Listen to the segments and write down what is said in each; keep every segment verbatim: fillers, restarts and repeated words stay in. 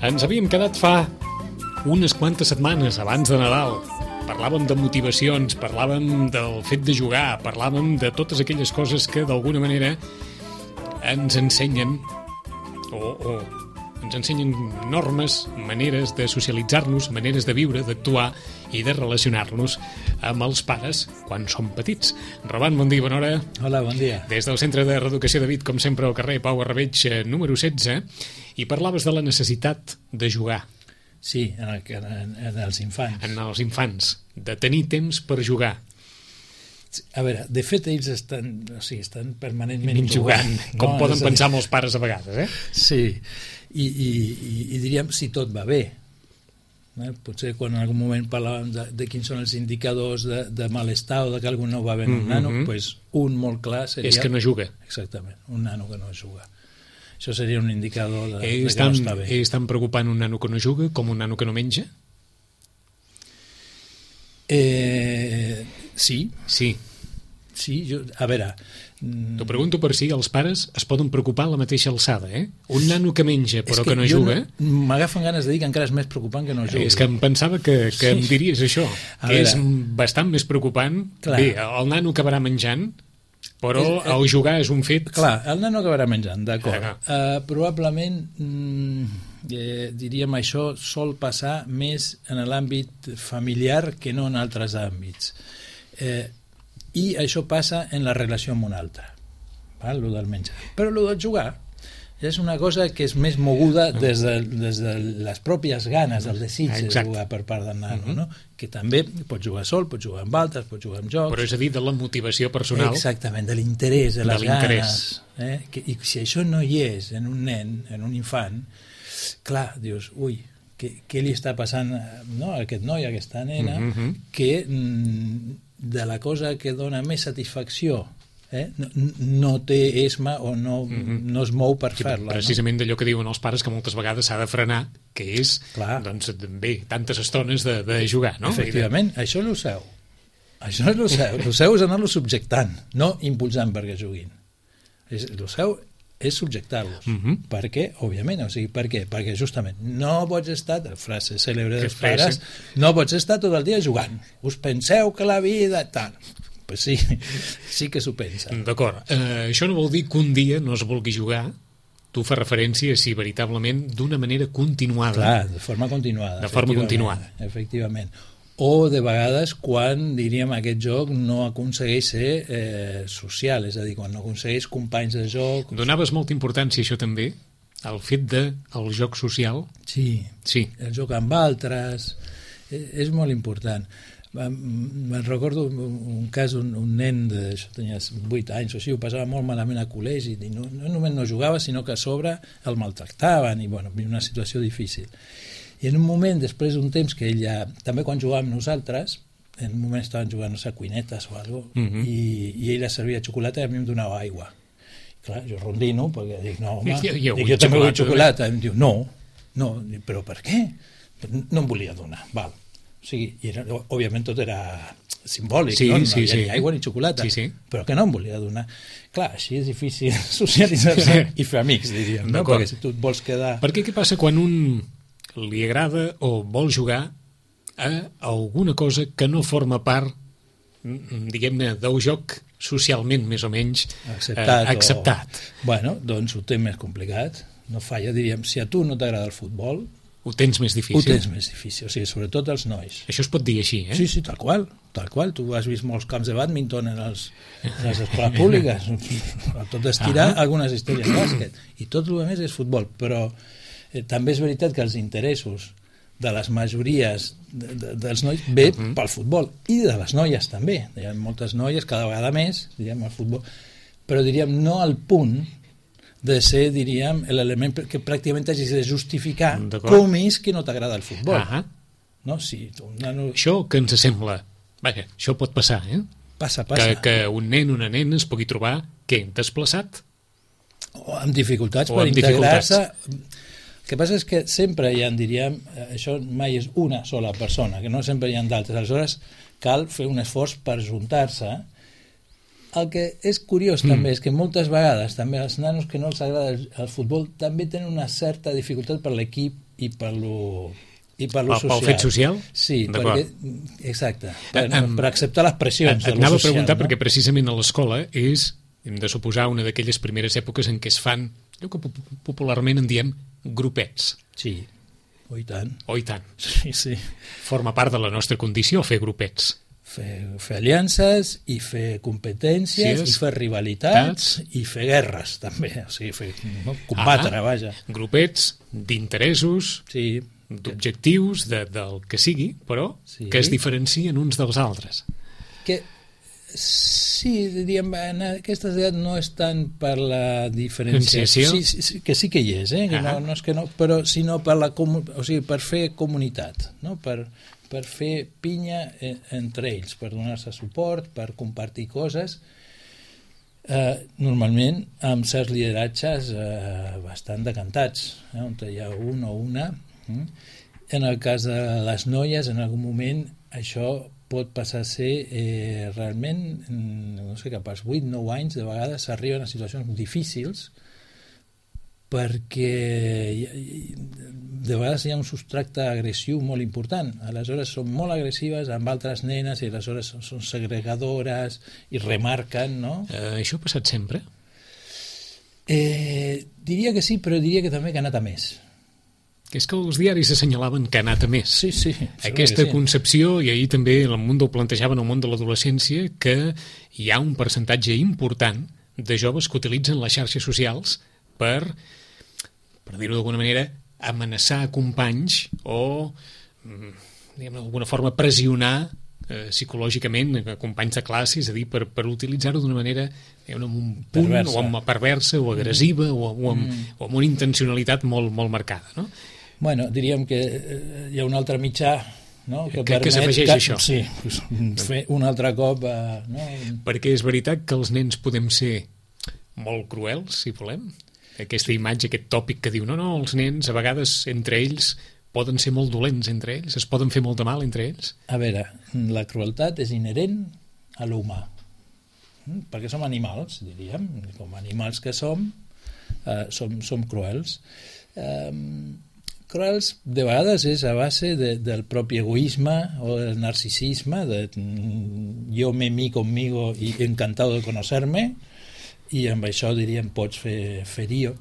Ens havíem quedat fa unes quantes setmanes abans de Nadal. Parlàvem de motivacions, parlàvem del fet de jugar, parlàvem de totes aquelles coses que d'alguna manera ens ensenyen o, o ens ensenyen normes, maneres de socialitzar-nos, maneres de viure, d'actuar i de relacionar-nos amb els pares quan som petits. Roman, bon dia, bona hora. Hola, bon dia. Des del Centre de Reeducació de Vic, com sempre, al carrer Pau Arrabeig, número setze, i parlaves de la necessitat de jugar. Sí, en, el, en, en els infants. En els infants, de tenir temps per jugar. A veure, de fet, ells estan, o sigui, estan permanentment jugant, jugant, com no? poden pensar molts pares a vegades, eh? Sí, i, i, i, i diríem si tot va bé. Eh? Potser quan en algun moment parlàvem de, de quins són els indicadors de, de malestar o de que algú no va bé en un Mm-hmm. nano, pues un molt clar seria... És que no juga. Exactament, un nano que no juga. Això seria un indicador de, És de que tan, no està bé. és tan preocupant un nano que no juga com un nano que no menja? Eh, sí, Sí. sí, jo, a veure... T'ho pregunto per si els pares es poden preocupar a la mateixa alçada, eh? Un nano que menja però És que no jo juga... No, m'agafen ganes de dir que encara és més preocupant que no jugui. És que em pensava que, que Sí. em diries això, A que veure. és bastant més preocupant. Clar. Bé, el nano acabarà menjant, però És- el jugar és un fet... Clar, el nano acabarà menjant, d'acord. Ah. Uh, probablement, mm, eh, diríem, això sol passar més en l'àmbit familiar que no en altres àmbits. Eh, I això passa en la relació amb un altre, val? Lo del menjar. Però lo del jugar és una cosa que és més moguda des de, des de les pròpies ganes, del desig de Exacte. jugar per part del nano, Mhm. no? Que també pot jugar sol, pot jugar amb altres, pot jugar amb jocs. Però és a dir, de la motivació personal. Exactament, de l'interès, de De les l'interès. ganes. Eh? Que, I si això no hi és en un nen, en un infant, clar, dius, ui, què, què li està passant, no, a aquest noi, a aquesta nena, Mhm. que mm, de la cosa que dona més satisfacció eh? no, no té esma o no, Mhm. no es mou per Sí, fer-la. precisament d'allò que diuen els pares, que moltes vegades s'ha de frenar, que és, Clar. doncs, bé, tantes estones de, de jugar, no? Efectivament, això és el seu. Això és el seu. El seu és anar-lo subjectant, no impulsant perquè juguin. És, el seu és subjectar-los. Mhm. Per què? Òbviament. O sigui, per què? Perquè justament no pots estar, la frase cèlebre Que dels frase. pares, no pots estar tot el dia jugant. Us penseu que la vida... Tal. Pues sí, sí que s'ho pensa. D'acord. Eh, això no vol dir que un dia no es vulgui jugar. Tu fas referència, si veritablement, d'una manera continuada. Clar, de forma continuada. De forma efectivament, continuada. Efectivament. O de vegades quan, diríem, aquest joc no aconsegueix ser eh, social, és a dir, quan no aconsegueix companys de joc... Donaves molta importància, això també, al fet del de, joc social? Sí, Sí. el joc amb altres, eh, és molt important. Em- Me'n recordo un, un cas, un, un nen, de, això tenia vuit anys o així, ho passava molt malament a col·legi, i no, no només no jugava, sinó que a sobre el maltractaven, i bueno, una situació difícil. I en un moment, després d'un temps que ell ja, també quan jugàvem nosaltres, en un moment estaven jugant, no sé, cuinetes o alguna cosa, Mhm. i, i ell servia xocolata i a mi em donava aigua. Clar, jo rondino, perquè dic, no, home, Jo- jo dic, vull jo també vull xocolata, xocolata. I em diu, no, no, Dic, però per què? No em volia donar, val. O sigui, i era, òbviament tot era simbòlic, Sí, no? No sí, hi havia sí. ni aigua ni xocolata, Sí, sí. però que no em volia donar. Clar, així és difícil socialitzar-se i fer amics, diríem, no? D'acord. Perquè si tu et vols quedar... Perquè què passa quan un li agrada o vol jugar a alguna cosa que no forma part, mm, diguem-ne, del joc socialment més o menys acceptat, eh, acceptat. O... Bueno, doncs ho té més complicat. No falla, diríem, si a tu no t'agrada el futbol, Ho tens més difícil. ho tens més difícil, o sigui, sobretot els nois. Això es pot dir així, eh? Sí, sí, tal qual, tal qual. Tu has vist molts camps de bàdminton en, els, en les escoles públiques. Tot estirar Ah. algunes històries de bàsquet. I tot el que més és futbol. Però eh, també és veritat que els interessos de les majories de, de, dels nois ve uh -huh. pel futbol. I de les noies també. Hi ha moltes noies, cada vegada més, diríem, al futbol. Però diríem, no al punt de ser, diríem, l'element que pràcticament hagis de justificar com és que no t'agrada el futbol. Ah. No? Si tu, un nano... Això que ens sembla... Vaja, això pot passar, eh? Passa, passa. Que, que un nen o una nena es pugui trobar, què, desplaçat? O amb dificultats o per amb integrar-se. dificultats. El que passa és que sempre hi ha, diríem, això mai és una sola persona, que no sempre hi ha d'altres. Aleshores, cal fer un esforç per juntar-se. El que és curiós mm. també és que moltes vegades també els nanos que no els agrada el, el futbol també tenen una certa dificultat per l'equip i per lo, i per lo pel, social. Pel fet social? Sí, perquè, exacte, per, um, per acceptar les pressions et, de et lo anava social. a preguntar, no? perquè precisament a l'escola és, hem de suposar, una d'aquelles primeres èpoques en què es fan, allò que popularment en diem grupets. Sí, oh, i tant. Oh, i tant. Sí, sí. Forma part de la nostra condició fer grupets. Fer, fer aliances i fer competències, sí, i fer rivalitats tats. I fer guerres també, o sigui, fer, no? combatre, ah, vaja. Grupets d'interessos, sí, d'objectius, de, del que sigui, però sí, que es diferencien uns dels altres. Que sí, diríem, en aquestes edats no és tant per la diferenciació, sí, sí, que sí que hi és, eh? Que no, no és que no, però sinó per, la, o sigui, per fer comunitat, no? per, per fer pinya entre ells, per donar-se suport, per compartir coses, eh, normalment amb certs lideratges eh, bastant decantats, eh? On hi ha un o una. Eh? En el cas de les noies, en algun moment això pot passar a ser eh, realment, no sé, cap als vuit nou anys, de vegades s'arriben a situacions difícils perquè de vegades hi ha un substracte agressiu molt important. Aleshores són molt agressives amb altres nenes i aleshores són segregadores i remarquen, no? Eh, això ha passat sempre? Eh, diria que sí, però diria que també que ha anat a més. Que és que els diaris assenyalaven que ha anat a més. Sí, sí. Aquesta sí. concepció, i ahir també el Mundo ho plantejaven al món de l'adolescència, que hi ha un percentatge important de joves que utilitzen les xarxes socials per, per dir-ho d'alguna manera, amenaçar companys o, diguem, d'alguna forma, pressionar eh, psicològicament a companys de classe, és a dir, per, per utilitzar-ho d'una manera diguem, amb un punt, perversa. o amb perversa, o agressiva, mm. o, o, amb, mm. o amb una intencionalitat molt, molt marcada, no? Bueno, diríem que hi ha un altre mitjà, no? que, que, que s'afegeix que, això. Sí, fer un altre cop... Eh, no? Perquè és veritat que els nens podem ser molt cruels, si volem. Aquesta imatge, aquest tòpic que diu no, no, els nens a vegades entre ells poden ser molt dolents entre ells, es poden fer molt de mal entre ells. A veure, la crueltat és inherent a l'humà, perquè som animals, diríem, com animals que som, eh, som, som cruels. Eh, cruels de vegades és a base de, del propi egoisme o del narcisisme, de jo me mi conmigo y encantado de conocerme, i amb això diríem pots fer ferir.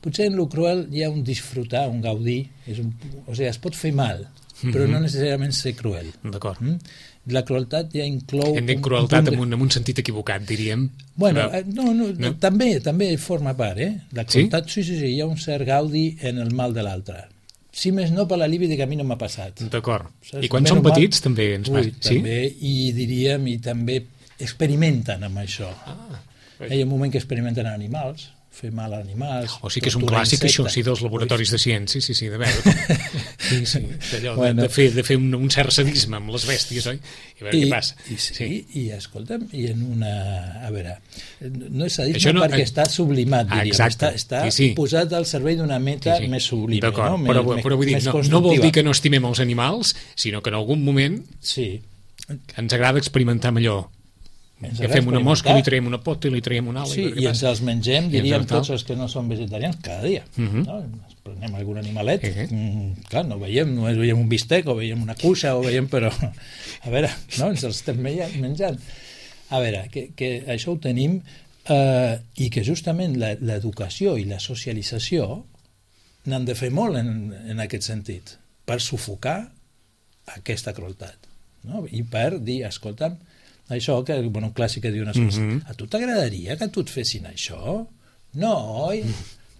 Potser en lo cruel hi ha un disfrutar, un gaudir, és un, o sigui, es pot fer mal, però mm-hmm. no necessàriament ser cruel. D'acord. Mm? La crueltat ja inclou... Hem dit crueltat en un, en un sentit equivocat, diríem. Bueno, però... no, no, no? També, també forma part, eh? La crueltat, sí? sí, sí, sí, hi ha un cert gaudi en el mal de l'altre. Si més no per l'alibi de que a mi no m'ha passat. D'acord. I quan són petits mal, també ens passa. Sí? També, i diríem, i també experimenten amb això. Ah. Hi ha un moment que experimenten animals, fer mal a animals... O sigui que és un clàssic, insectes. Això, sí, dels laboratoris de ciència, sí, sí, de veure. Sí, sí, d'allò, bueno, de fer, de fer un, un cert sadisme amb les bèsties, oi? I veure I, què passa. I, sí, sí, i escolta'm, i en una... A veure, no és sadisme no, perquè eh, està sublimat, diríem. Exacte, està, està sí, sí. posat al servei d'una meta sí, sí. més sublime. D'acord, no? però, més, però vull dir, no, no vol dir que no estimem els animals, sinó que en algun moment sí. ens agrada experimentar amb allò. Que fem una mosca, li traiem una pota i li traiem una ala. Sí, i, i ens els mengem, diríem, tots els que no són vegetarians, cada dia. Uh-huh. No? Ens prenem algun animalet, uh-huh. mm, clar, no veiem, només veiem un bistec o veiem una cuixa o veiem, però a veure, no, ens els estem menjant. A veure, que, que això ho tenim eh, i que justament l'educació i la socialització n'han de fer molt en, en aquest sentit, per sufocar aquesta crueltat, no? I per dir, escolta'm, això, que bueno, un clàssic que diu una cosa, mm-hmm. a tu t'agradaria que tu et fessin això? No, oi?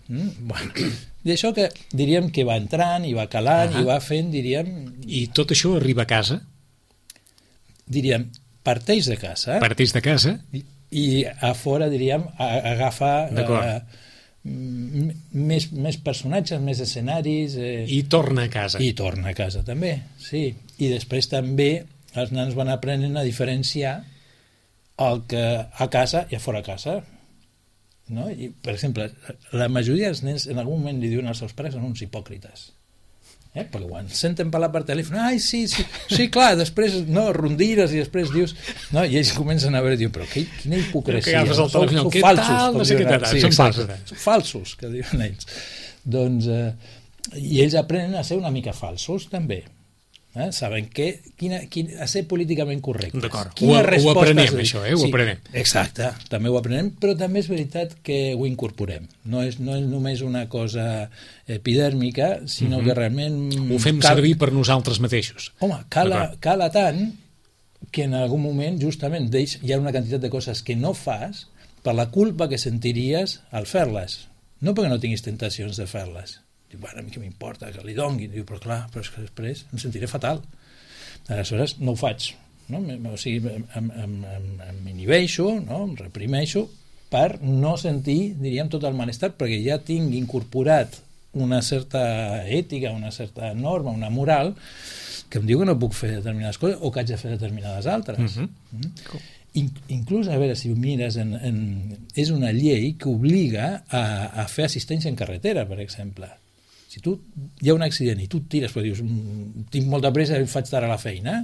Mm, bueno. I això que diríem que va entrant i va calant uh-huh. i va fent, diríem... I tot això arriba a casa? Diríem, parteix de casa. Parteix de casa. I, i a fora, diríem, a, agafa uh, més, més personatges, més escenaris... Eh, I torna a casa. I torna a casa, també, sí. I després també... els nens van aprenent a diferenciar el que a casa i a fora a casa, no? I, per exemple, la majoria dels nens en algun moment li diuen als seus pares són uns hipòcrites, eh? Perquè quan senten parlar per telèfon, ai, sí, sí, sí, clar, després no, rondires i després dius, no? I ells comencen a veure, diuen, però que, quina hipocresia, no? Són, són falsos, tal, no sé què tal, sí, són falsos, són falsos, que diuen ells. Doncs, eh, i ells aprenen a ser una mica falsos, també. Eh? Saben que, quina, quina, a ser políticament correctes. D'acord, ho, ho aprenem, això, eh? Ho sí, aprenem. Exacte, també ho aprenem, però també és veritat que ho incorporem. No és, no és només una cosa epidèrmica, sinó uh-huh. que realment... Ho fem cal... servir per nosaltres mateixos. Home, cala, cala tant que en algun moment, justament, deix, hi ha una quantitat de coses que no fas per la culpa que sentiries al fer-les. No perquè no tinguis tentacions de fer-les. Diu, bueno, a mi què m'importa que li dongui. Diu, però clar, però és que després em sentiré fatal. Aleshores no ho faig, no? O sigui, em, em, em, em inhibeixo, no? Em reprimeixo per no sentir, diríem, tot el malestar, perquè ja tinc incorporat una certa ètica, una certa norma, una moral, que em diu que no puc fer determinades coses o que haig de fer determinades altres. Uh-huh. Mm? In, inclús, a veure, si ho mires, en, en, és una llei que obliga a, a fer assistència en carretera, per exemple. Si tu hi ha un accident i tu et tires, però dius, tinc molta pressa i faig tard a la feina,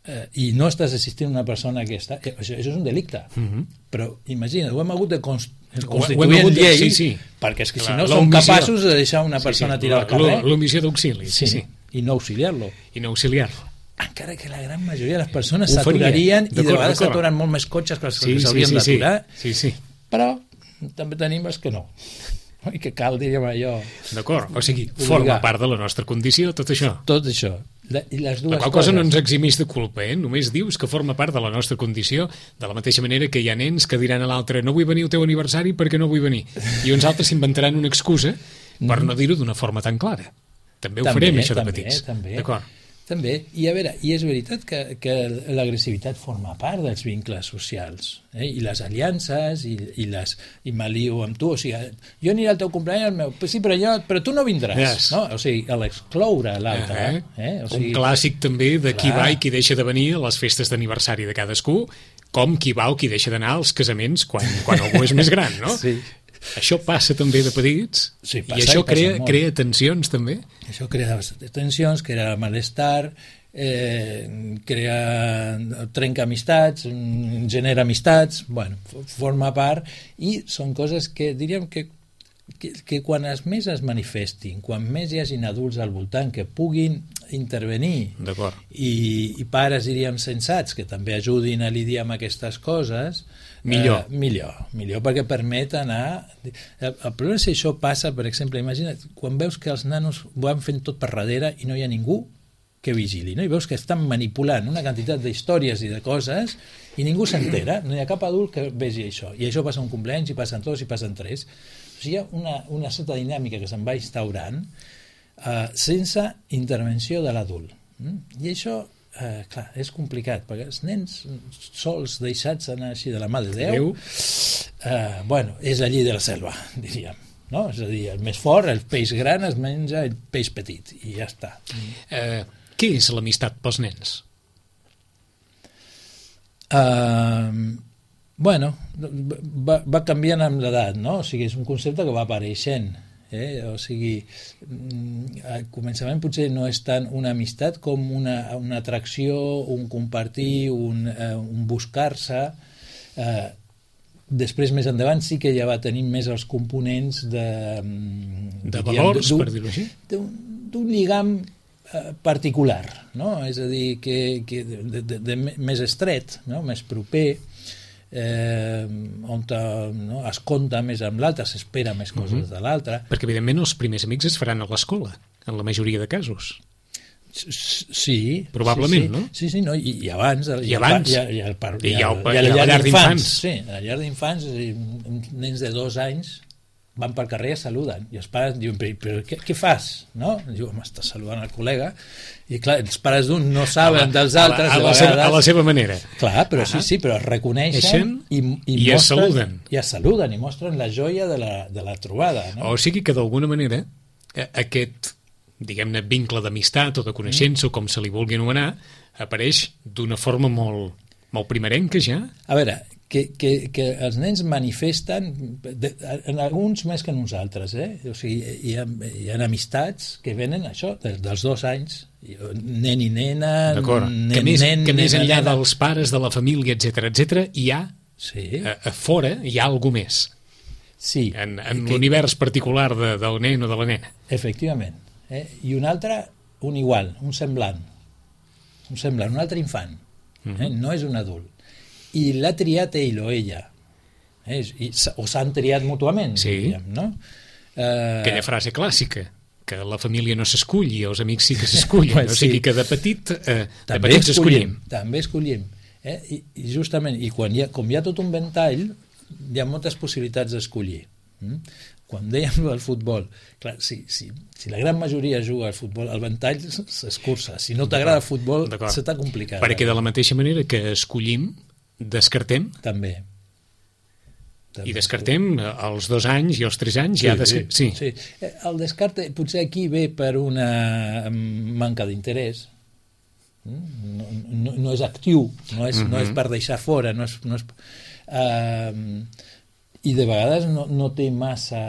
eh, i no estàs assistint a una persona que està... Eh, això, això és un delicte. Uh-huh. Però imagina't, ho hem hagut de const constituir en llei, de, sí, sí. perquè és que clar, si no som capaços de deixar una persona sí, sí, tirar al carrer... L'omissió d'auxili, sí, sí. I no auxiliar-lo. I no auxiliar-lo. Encara que la gran majoria de les persones s'aturarien i de vegades s'aturen molt més cotxes que els sí, que s'haurien sí, sí, d'aturar. Sí, sí. Però també tenim els que no. I que cal, diríem allò... D'acord, o sigui, forma part de la nostra condició, tot això. Tot això. La, i les dues la qual cosa no ens eximís de culpa, eh? Només dius que forma part de la nostra condició, de la mateixa manera que hi ha nens que diran a l'altre no vull venir al teu aniversari perquè no vull venir. I uns altres s'inventaran una excusa per no dir-ho d'una forma tan clara. També ho també, farem, això de també, petits. També. D'acord. També, i a veure, i és veritat que, que l'agressivitat forma part dels vincles socials, eh? I les aliances, i, i, les, i m'alio amb tu, o sigui, jo aniré al teu cumpleaños, meu, sí, però, jo, però tu no vindràs, yes. No? O sigui, a l'excloure l'altre. Uh -huh. eh? O sigui, un clàssic també de clar. Qui va i qui deixa de venir a les festes d'aniversari de cadascú, com qui va o qui deixa d'anar als casaments quan, quan algú és més gran, no? Sí. Això passa també de petits, sí, passa, i això i crea, crea tensions també. Això crea tensions, crea malestar, eh, crea, trenca amistats, genera amistats, bueno, forma part, i són coses que diríem que, que, que quan es més es manifestin, quan més hi hagin adults al voltant que puguin intervenir i, i pares, diríem, sensats que també ajudin a lidiar amb aquestes coses, millor. Eh, millor, millor, perquè permet anar... El, el problema és si això passa, per exemple, imagina't, quan veus que els nanos ho van fent tot per darrere i no hi ha ningú que vigili, no? I veus que estan manipulant una quantitat d'històries i de coses i ningú s'entera, no hi ha cap adult que vegi això, i això passa un cumpleaños, i passen dos, i passen tres. O sigui, hi ha una, una certa dinàmica que se'n va instaurant eh, sense intervenció de l'adult. Mm? I això... Uh, clar, és complicat, perquè els nens sols deixats anar així de la mà de Déu, uh, bueno, és la llei de la selva, diríem, no? És a dir, el més fort, el peix gran es menja el peix petit, i ja està. Uh, què és l'amistat pels nens? Uh, bueno, va, va canviant amb l'edat, no? O sigui, és un concepte que va apareixent. Eh? O sigui, al començament potser no és tant una amistat com una, una atracció, un compartir, un, eh, un buscar-se. Eh, després, més endavant, sí que ja va tenir més els components de... De valors, per dir-ho així? D'un lligam eh, particular, no? És a dir, que, que de, de, de més estret, no? Més proper, Eh, on no, es compta més amb l'altre, s'espera més coses uh-huh. de l'altre. Perquè evidentment els primers amics es faran a l'escola, en la majoria de casos. Sí. Probablement, sí, sí. no? Sí, sí, no? I, i abans. I abans. Hi ha, hi ha, hi ha, hi ha, hi ha, hi ha, hi ha la llar d'infants. Sí, a la llar d'infants, nens de dos anys van pel carrer i saluden, i els pares diuen, però, però què, què fas? No? Diu, home, estàs saludant el col·lega, i clar, els pares d'un no saben dels altres a la, a, la seva, a la seva manera. Clar, però uh -huh. sí, sí, però es reconeixen i, i, i mostren, es saluden. I es saluden, i mostren la joia de la, de la trobada. No? O sigui que d'alguna manera aquest, diguem-ne, vincle d'amistat o de coneixença, mm. o com se li vulgui anomenar, apareix d'una forma molt, molt primerenca ja. A veure, que, que, que els nens manifesten, de, en alguns més que nosaltres, eh? O sigui, hi ha, hi ha amistats que venen això, des dels dos anys, nen i nena, nen, que més, nen, que més nena, enllà nena. dels pares, de la família, etcètera, etcètera, hi ha, sí. a, a fora, hi ha algú més. Sí. En, en que... l'univers particular de, del nen o de la nena. Efectivament. Eh? I un altre, un igual, un semblant. Un semblant, un altre infant. Eh? Mm-hmm. No és un adult. I l'ha triat ell o ella. Eh? I, o s'han triat mútuament, sí. diríem, no? Eh... Aquella frase clàssica, que la família no s'escull i els amics sí que s'escullen. Pues o sigui sí. que de petit, eh, de també petits escollim. escollim. També escollim. Eh? I, I justament, i quan hi ha, com hi ha tot un ventall, hi ha moltes possibilitats d'escollir. Mm? Quan dèiem del futbol, clar, si, si, si la gran majoria juga al futbol, el ventall s'escurça. Si no t'agrada el futbol, se t'ha complicat. Perquè de la mateixa manera que escollim, descartem. També. I descartem als dos anys i als tres anys. Sí, ja des... sí, sí. sí. El descarte potser aquí ve per una manca d'interès. No, no, no és actiu, no és, uh-huh. no és per deixar fora, no és, no és, uh, i de vegades no, no té massa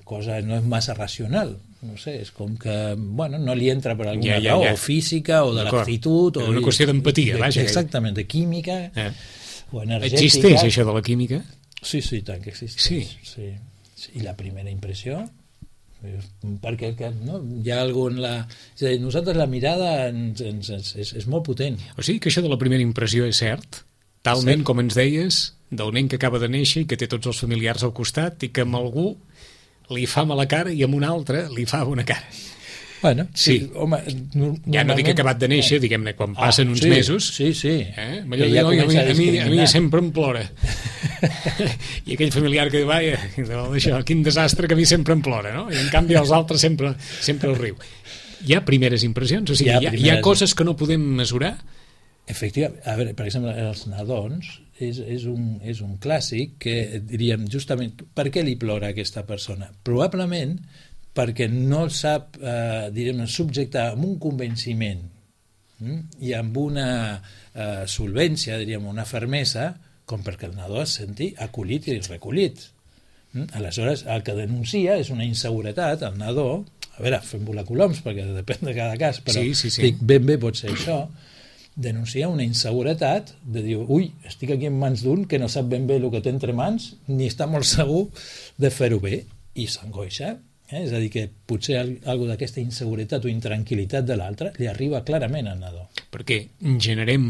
cosa, no és massa racional. No sé, és com que, bueno, no li entra per alguna ja, ja, raó, ja. o física, o de l'actitud... És una qüestió d'empatia, vaja. Exactament, de química, eh. o energètica. Existeix això de la química? Sí, sí, tant que existeix. Sí. Sí. I la primera impressió, perquè que, no, hi ha algun... La... És a dir, nosaltres la mirada ens, ens, ens, és, és molt potent. O sigui que això de la primera impressió és cert, talment sí. Com ens deies, del nen que acaba de néixer i que té tots els familiars al costat i que amb algú li fa mala cara i amb un altre li fa bona cara. Bueno, sí. sí home, ja no dic que acabat de néixer, eh. diguem-ne, quan passen ah, uns sí, mesos... Sí, sí. Eh? Ja diu, a, mi, a, mi, a mi sempre em plora. I aquell familiar que diu, vaja, això, quin desastre, que a mi sempre em plora, no? I en canvi els altres sempre, sempre el riu. Hi ha primeres impressions? O sigui, hi ha, hi ha, hi ha coses que no podem mesurar? Efectivament. A veure, per exemple, els nadons és, és, un, és un clàssic que diríem justament per què li plora a aquesta persona? Probablement perquè no el sap, eh, direm, subjectar amb un convenciment hm? i amb una eh, solvència, diríem, una fermesa, com perquè el nadó es senti acollit i recollit. Hm? Aleshores, el que denuncia és una inseguretat, el nadó, a veure, fem volar coloms, perquè depèn de cada cas, però sí, sí, sí. dic, ben bé pot ser això, denuncia una inseguretat de dir, ui, estic aquí en mans d'un que no sap ben bé el que té entre mans, ni està molt segur de fer-ho bé, i s'angoixa. Eh? És a dir, que potser alguna d'aquesta inseguretat o intranquil·litat de l'altre li arriba clarament al nadó. Perquè generem,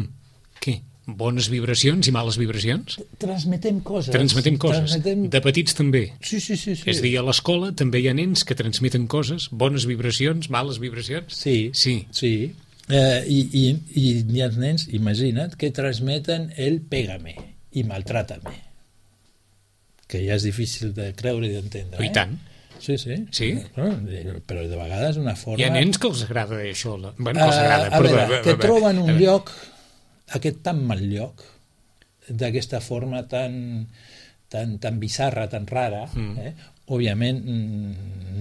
què? Bones vibracions i males vibracions? Transmetem coses. Transmetem coses. Transmetem... De petits també. Sí, sí, sí, sí. És a dir, a l'escola també hi ha nens que transmeten coses, bones vibracions, males vibracions. Sí, sí. sí. Eh, i, i, i hi ha nens, imagina't, que transmeten el pégame i maltrátame. Que ja és difícil de creure i d'entendre. I eh? tant. Sí, sí. Sí? Però de vegades una forma... Hi ha nens que els agrada això. La... Bueno, que els agrada. Uh, a veure, perdó, que troben un lloc, aquest tan mal lloc, d'aquesta forma tan, tan, tan bizarra, tan rara, mm. eh? Òbviament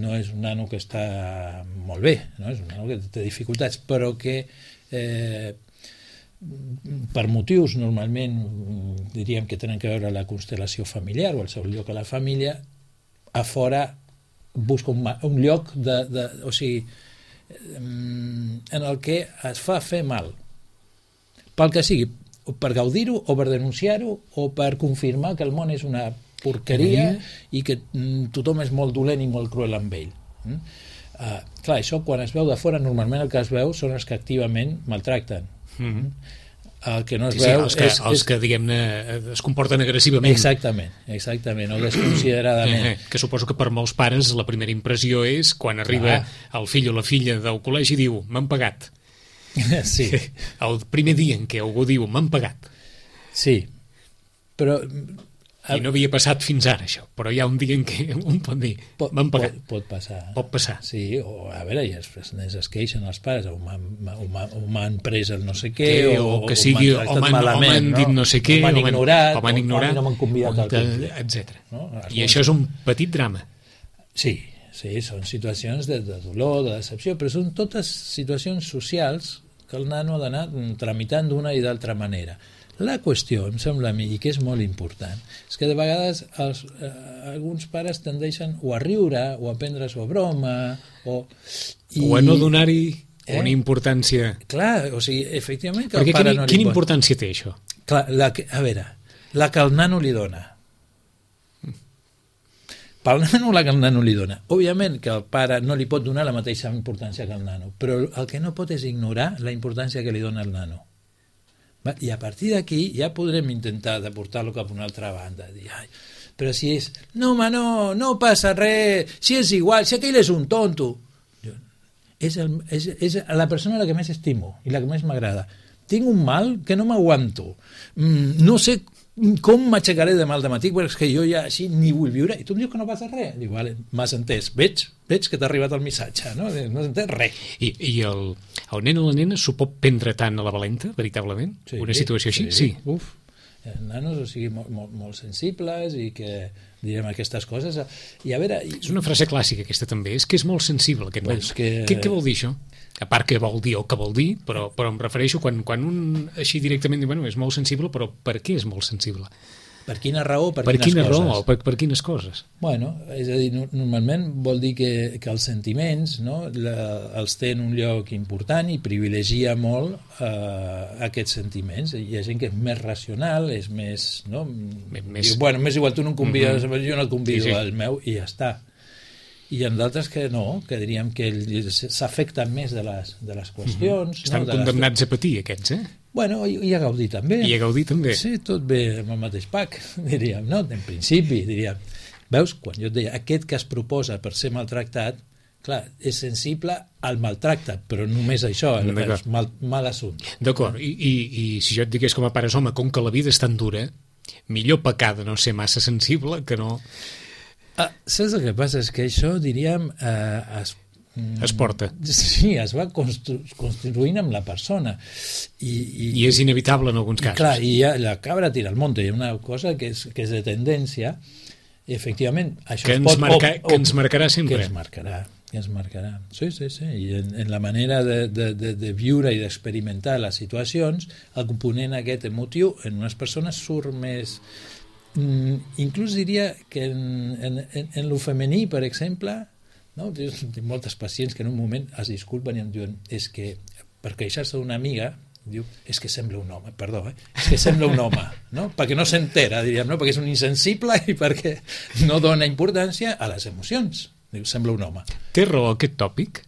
no és un nano que està molt bé, no? És un nano que té dificultats, però que eh, per motius normalment diríem que tenen que veure la constel·lació familiar o el seu lloc a la família, a fora busca un, un lloc de, de, o sigui, en el que es fa fer mal pel que sigui, per gaudir-ho o per denunciar-ho o per confirmar que el món és una porqueria i que tothom és molt dolent i molt cruel amb ell. Uh, clar, això quan es veu de fora normalment el que es veu són els que activament maltracten. Mm-hmm. El que no es sí, veu sí, els que, és, els és... que diguem-ne es comporten agressivament. Exactament, exactament, o desconsideradament. Eh, que suposo que per molts pares la primera impressió és quan arriba Clar. el fill o la filla del col·legi i diu, m'han pagat. Sí. El primer dia en què algú diu, m'han pagat. Sí, però... I no havia passat fins ara, això, però hi ha un dia en què un pot dir, m'han pagat. Pot, pot passar. Pot passar. Sí, o a veure, i els nens es queixen els pares, o m'han pres el no sé què, que, o, o que sigui, o m'han dit no sé què, o m'han ignorat, o m'han ignorat, no m'han convidat al temple, etcètera. No? I això és un petit drama. Sí, sí, són situacions de, de dolor, de decepció, però són totes situacions socials que el nano ha d'anar tramitant d'una i d'altra manera. La qüestió, em sembla a mi, i que és molt important, és que de vegades els, eh, alguns pares tendeixen o a riure, o a prendre-s'ho a broma, o... I... O a no donar-hi eh? una importància... Clar, o sigui, efectivament que Perquè el pare quina, no li quina pot... importància té això? Clar, la que, a veure, la que el nano li dona. pel nano la que el nano li dona. Òbviament que el pare no li pot donar la mateixa importància que el nano, però el que no pot és ignorar la importància que li dona el nano. Va? I a partir d'aquí ja podrem intentar de portar-lo cap a una altra banda, dir, ai, però si és, no home, no, no passa res, si és igual, si aquell és un tonto. És, el, és, és la persona a la que més estimo i la que més m'agrada. Tinc un mal que no m'aguanto. Mm, no sé com m'aixecaré demà al dematí perquè és que jo ja així ni vull viure. I tu em dius que no passa res. Dic, vale, m'has entès. Veig, veig que t'ha arribat el missatge. No, no has entès res. I, i el, el nen o la nena s'ho pot prendre tant a la valenta, veritablement? Sí, una situació així? Sí. sí. Uf. Nanos, o sigui, molt, molt, molt sensibles i que direm aquestes coses. I a veure... És una frase clàssica aquesta també, és que és molt sensible aquest pues nen. Que... Què, què vol dir això? A part que vol dir el que vol dir, però, però em refereixo quan, quan un així directament diu, bueno, és molt sensible, però per què és molt sensible? Per quina raó, per, per quines quina coses? Raó, per, per quines coses? Bueno, és a dir, normalment vol dir que, que els sentiments, no, la, els té en un lloc important i privilegia molt eh, aquests sentiments. Hi ha gent que és més racional, és més... No? Més... Diu, bueno, m'és igual, tu no em convides, mm-hmm. jo no et convido sí, sí. al meu, i ja està. I hi ha d'altres que no, que diríem que s'afecten més de les, de les qüestions. Mm-hmm. Estan no? condemnats les... a patir, aquests, eh? Bueno, i, i a gaudir també. I a gaudir també. Sí, tot ve amb el mateix pack, diríem, no? En principi, diríem. Veus, quan jo et deia, aquest que es proposa per ser maltractat, clar, és sensible al maltracte, però només això, és mal, mal assumpte. D'acord, I, i, i si jo et digués com a pares, home, com que la vida és tan dura, millor pecar de no ser massa sensible que no... Ah, saps el que passa? És que això, diríem, eh, es es porta. Sí, es va constru construint amb la persona. I, i, I és inevitable en alguns casos. I clar, i ja, la cabra tira al monte. Hi ha una cosa que és, que és de tendència, i efectivament, això que es ens pot... Marca, o, o, que ens marcarà sempre. Que ens marcarà, que ens marcarà. Sí, sí, sí. I en, en la manera de, de, de, de viure i d'experimentar les situacions, el component aquest emotiu en unes persones surt més... Mm, inclús diria que en, en, en, en lo femení, per exemple... No? Tinc moltes pacients que en un moment es disculpen i em diuen és que per queixar-se d'una amiga diu, és que sembla un home, perdó, eh? És que sembla un home, no? Perquè no s'entera, diríem, no? Perquè és un insensible i perquè no dona importància a les emocions. Diu, sembla un home. Té raó aquest tòpic?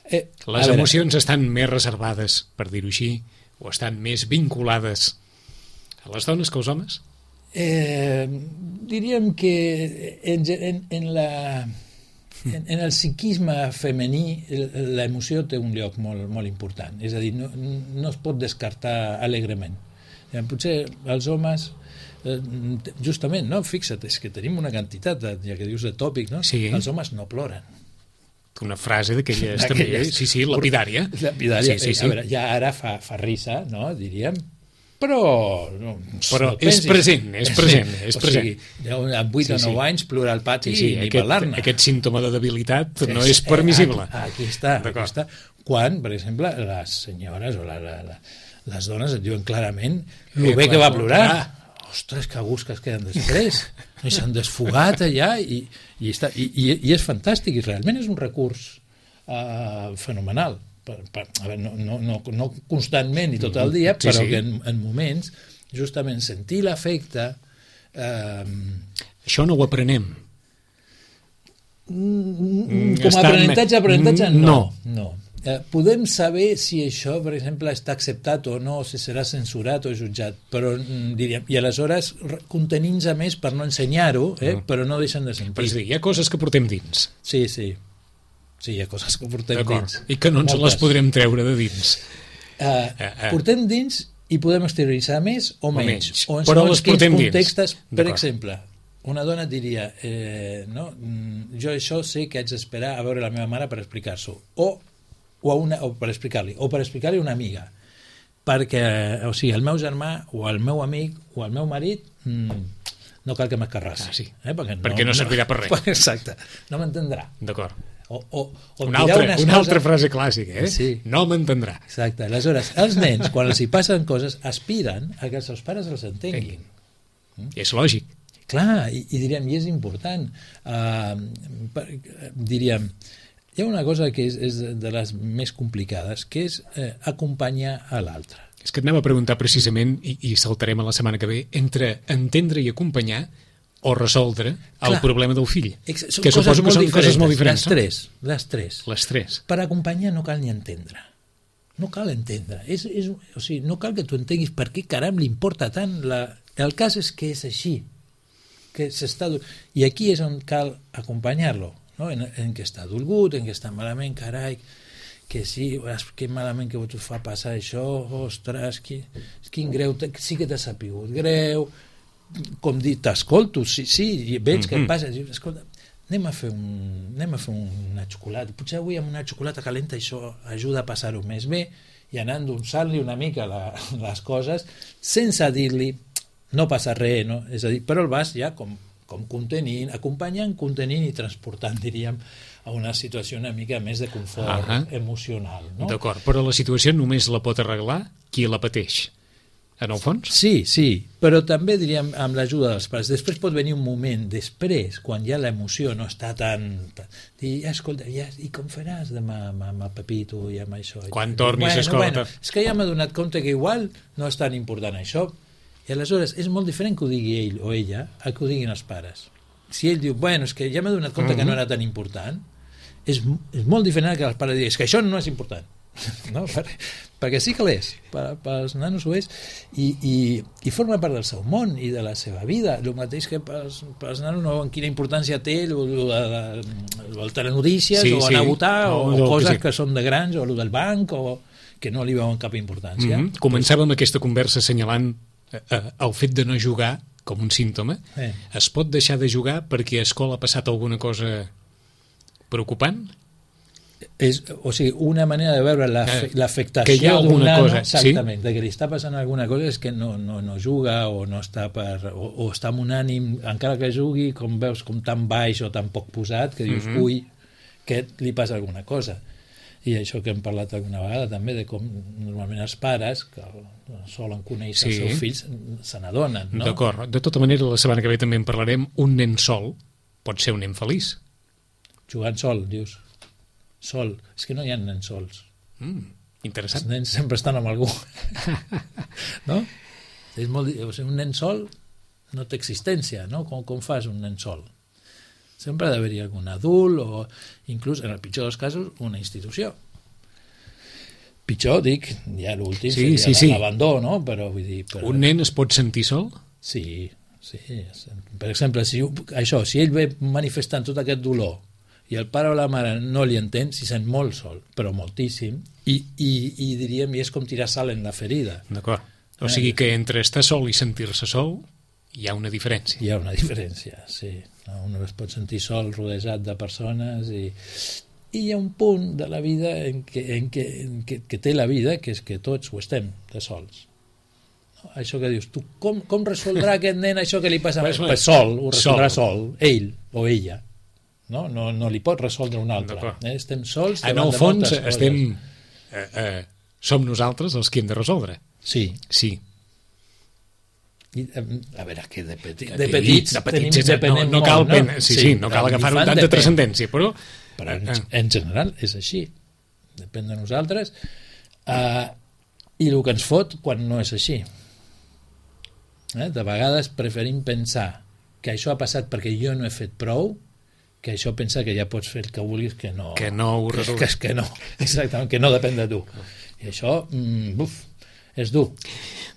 Eh, les emocions estan més reservades, per dir-ho així, o estan més vinculades a les dones que als homes? Eh, diríem que en, en, en la... En, en el psiquisme femení l'emoció té un lloc molt, molt important, és a dir, no, no es pot descartar alegrement. Potser els homes justament, no? Fixa't, és que tenim una quantitat de, ja que dius de tòpic, no? Sí. Els homes no ploren. Una frase d'aquelles també, sí, sí, lapidària. Lapidària, sí, sí, sí. A veure, ja ara fa, fa risa, no? Diríem, però, no, però no és present, és present, és o present. Sigui, amb vuit sí, o nou sí. anys plorar al pati sí, sí, i aquest, parlar-ne. Aquest símptoma de debilitat no és permissible. Eh, aquí, aquí està, aquí està. Quan, per exemple, les senyores o la, la, la, les dones et diuen clarament el bé que va plorar. Ah. Ostres, que gust que es queden després. I s'han desfogat allà i, i, està, i, i, i és fantàstic i realment és un recurs uh, fenomenal. Per, per, a veure, no, no, no, no constantment i tot el dia, sí, però sí. que en, en moments justament sentir l'afecte eh, això no ho aprenem mm, com a aprenentatge aprenentatge no, no. no. Eh, podem saber si això per exemple està acceptat o no, si serà censurat o jutjat, però mm, diríem, i aleshores contenint-se més per no ensenyar-ho, eh, mm. però no deixen de sentir. Però és dir, hi ha coses que portem dins. Sí, sí. Sí, hi ha coses que portem dins. I que no ens Moltes. les podrem treure de dins. Uh, uh, uh. Portem dins i podem exterioritzar més o, o menys. menys. O en Però les portem contextes, dins. Per exemple, una dona diria eh, no, jo això sé que haig d'esperar a veure la meva mare per explicar-s'ho. O, o, una, o per explicar-li. O per explicar-li a una amiga. Perquè, o sigui, el meu germà o el meu amic o el meu marit mm, no cal que m'escarrassi. Ah, sí. eh? Perquè, perquè no, no servirà per res. Exacte. No m'entendrà. D'acord. O, o, o una altra, una coses... altra frase clàssica, eh? Sí. No m'entendrà. Exacte. Aleshores, els nens, quan els hi passen coses, aspiren a que els seus pares els entenguin. Mm? És lògic. Clar, i, i diríem, i és important. Uh, per, diríem, hi ha una cosa que és, és de les més complicades, que és eh, acompanyar a l'altre. És que et anava a preguntar precisament, i, i saltarem a la setmana que ve, entre entendre i acompanyar, o resoldre el Clar. problema del fill. Ex són que coses suposo que molt són diferents, coses molt diferents. Les tres, les tres. Les tres. Per acompanyar no cal ni entendre. No cal entendre. És, és, o sigui, no cal que tu entenguis per què caram li importa tant. La... El cas és que és així. Que s'està... I aquí és on cal acompanyar-lo, no? en, en què està dolgut, en què està malament, carai, que sí, que malament que t'ho fa passar això, ostres, quin, quin greu, sí que t'ha sapigut greu, com dir, t'escolto, sí, sí, i veig mm-hmm. què passa, dius, escolta, anem a fer, un, anem a fer una xocolata, potser avui amb una xocolata calenta això ajuda a passar-ho més bé, i anant endolçant-li una mica la, les coses, sense dir-li, no passa res, no? És a dir, però el vas ja com, com contenint, acompanyant, contenint i transportant, diríem, a una situació una mica més de confort uh-huh. emocional. No? D'acord, però la situació només la pot arreglar qui la pateix. En el fons? Sí, sí, però també diríem amb l'ajuda dels pares. Després pot venir un moment després, quan ja l'emoció no està tan... tan dir, ja, escolta, ja, i com faràs demà amb, amb el Pepito i amb això? Quan tornis, bueno, escolta... Bueno, és que ja m'he donat compte que igual no és tan important això. I aleshores és molt diferent que ho digui ell o ella a que ho diguin els pares. Si ell diu, bueno, és que ja m'he donat compte uh-huh. que no era tan important, és, és molt diferent que els pares diguin, és que això no és important. No? Per, perquè sí que l'és, per, pels nanos ho és, i, i, i forma part del seu món i de la seva vida, el mateix que pels, pels nanos no veuen quina importància té el, el, el, el telenotícies sí, o anar sí. a votar o, o coses que, sí. que són de grans o el del banc o que no li veuen cap importància. Mm-hmm. Començàvem aquesta conversa assenyalant eh, eh, el fet de no jugar com un símptoma. Eh. Es pot deixar de jugar perquè a escola ha passat alguna cosa preocupant? És, o sigui, una manera de veure l'afectació d'un nano, exactament, sí? De que li està passant alguna cosa és que no, no, no juga o no està per, o, o està amb un ànim, encara que jugui, com veus, com tan baix o tan poc posat, que dius, mm-hmm. ui, que li passa alguna cosa. I això que hem parlat alguna vegada també, de com normalment els pares, que solen conèixer sí. els seus fills, se n'adonen, no? D'acord. De tota manera, la setmana que ve també en parlarem, un nen sol pot ser un nen feliç. Jugant sol, dius. Sol. És que no hi ha nens sols. Mm, interessant. Els nens sempre estan amb algú. No? És molt, o sigui, un nen sol no té existència, no? Com, com fas un nen sol? Sempre ha d'haver-hi algun adult o inclús, en el pitjor dels casos, una institució. Pitjor, dic, ja l'últim sí, seria sí, sí. l'abandó, no? Però, vull dir, però... Un nen es pot sentir sol? Sí, sí. Per exemple, si, això, si ell ve manifestant tot aquest dolor i el pare o la mare no li entén, s'hi sent molt sol, però moltíssim, i, i, i diríem, i és com tirar sal en la ferida. D'acord. O eh? sigui que entre estar sol i sentir-se sol hi ha una diferència. Hi ha una diferència, sí. Un es pot sentir sol rodejat de persones i, i hi ha un punt de la vida en què, en què, en què, que té la vida, que és que tots ho estem de sols. No? Això que dius, tu com, com resoldrà aquest nen això que li passa? Pues, pues sol, ho resoldrà sol. sol, ell o ella. No, no, no li pot resoldre un altre. Eh? Estem sols en el fons estem eh, eh, som nosaltres els que hem de resoldre. Sí. Sí. I, a veure, que de, petit, de petits, de petits tenim, depenem no, no cal molt, pen... no? Sí, sí, sí, no cal agafar un tant de transcendència, però... Però en, en general és així. Depèn de nosaltres. Uh, I el que ens fot quan no és així. Eh? De vegades preferim pensar que això ha passat perquè jo no he fet prou, que això pensa que ja pots fer el que vulguis, que no... Que no ho resols. Que, que, que no, exactament, que no depèn de tu. I això, mm, buf, és dur.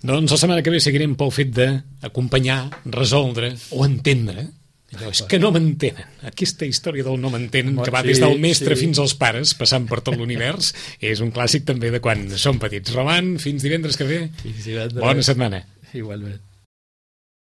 Doncs la setmana que ve seguirem pel fet d'acompanyar, resoldre o entendre. Allò, és que no m'entenen. Aquesta història del no m'entenen, que va des del mestre sí. fins als pares, passant per tot l'univers, és un clàssic també de quan som petits. Roman, fins divendres que ve. Fins divendres. Bona setmana. Igualment.